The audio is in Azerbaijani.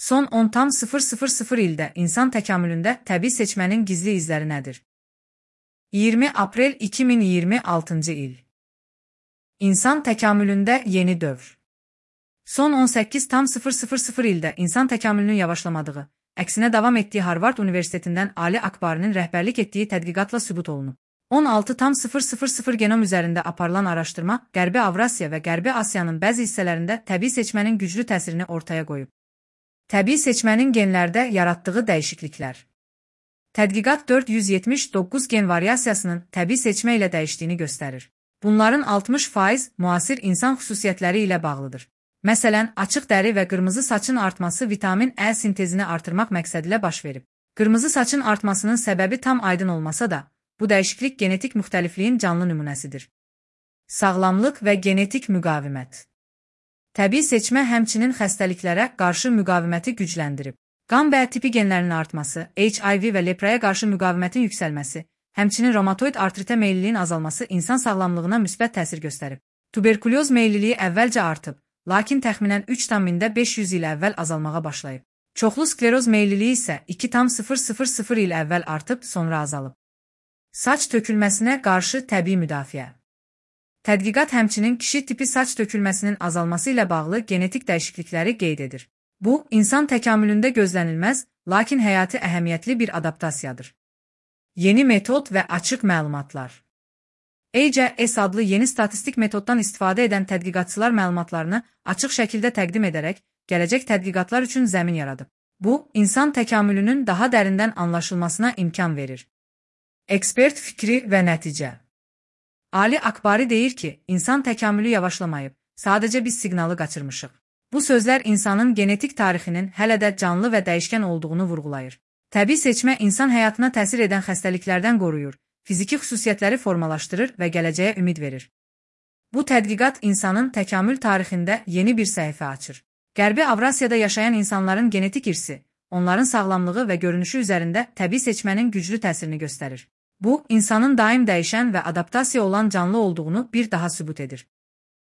Son 10,000 ildə insan təkamülündə təbii seçmənin gizli izləri nədir? 20 aprel 2026-cı il. İnsan təkamülündə yeni dövr. Son 18,000 ildə insan təkamülünün yavaşlamadığı, əksinə davam etdiyi Harvard Universitetindən Ali Akbari'nin rəhbərlik etdiyi tədqiqatla sübut olunub. 16,000 genom üzərində aparılan araşdırma Qərbi Avrasiya və Qərbi Asiyanın bəzi hissələrində təbii seçmənin güclü təsirini ortaya qoyub. Təbii seçmənin genlərdə yaratdığı dəyişikliklər. Tədqiqat 479 gen variasiyasının təbii seçmə ilə dəyişdiyini göstərir. Bunların 60% müasir insan xüsusiyyətləri ilə bağlıdır. Məsələn, açıq dəri və qırmızı saçın artması vitamin E sintezini artırmaq məqsədilə baş verib. Qırmızı saçın artmasının səbəbi tam aydın olmasa da, bu dəyişiklik genetik müxtəlifliyin canlı nümunəsidir. Sağlamlıq və genetik müqavimət. Təbii seçmə həmçinin xəstəliklərə qarşı müqaviməti gücləndirib. Qan B tipi genlərinin artması, HIV və lepraya qarşı müqavimətin yüksəlməsi, həmçinin reumatoid artritə meylliliyin azalması insan sağlamlığına müsbət təsir göstərib. Tuberkuloz meylliliyi əvvəlcə artıb, lakin təxminən 3,500 il əvvəl azalmağa başlayıb. Çoxlu skleroz meylliliyi isə 2,000 il əvvəl artıb, sonra azalıb. Saç tökülməsinə qarşı təbii müdafiə. Tədqiqat həmçinin kişi tipi saç tökülməsinin azalması ilə bağlı genetik dəyişiklikləri qeyd edir. Bu, insan təkamülündə gözlənilməz, lakin həyati əhəmiyyətli bir adaptasiyadır. Yeni metod və açıq məlumatlar. AGS adlı yeni statistik metoddan istifadə edən tədqiqatçılar məlumatlarını açıq şəkildə təqdim edərək, gələcək tədqiqatlar üçün zəmin yaradıb. Bu, insan təkamülünün daha dərindən anlaşılmasına imkan verir. Ekspert fikri və nəticə. Ali Akbari deyir ki, insan təkamülü yavaşlamayıb, sadəcə biz siqnalı qaçırmışıq. Bu sözlər insanın genetik tarixinin hələ də canlı və dəyişkən olduğunu vurğulayır. Təbii seçmə insan həyatına təsir edən xəstəliklərdən qoruyur, fiziki xüsusiyyətləri formalaşdırır və gələcəyə ümid verir. Bu tədqiqat insanın təkamül tarixində yeni bir səhifə açır. Qərbi Avrasiyada yaşayan insanların genetik irsi, onların sağlamlığı və görünüşü üzərində təbii seçmənin güclü təsirini göstərir. Bu, insanın daim dəyişən və adaptasiya olan canlı olduğunu bir daha sübut edir.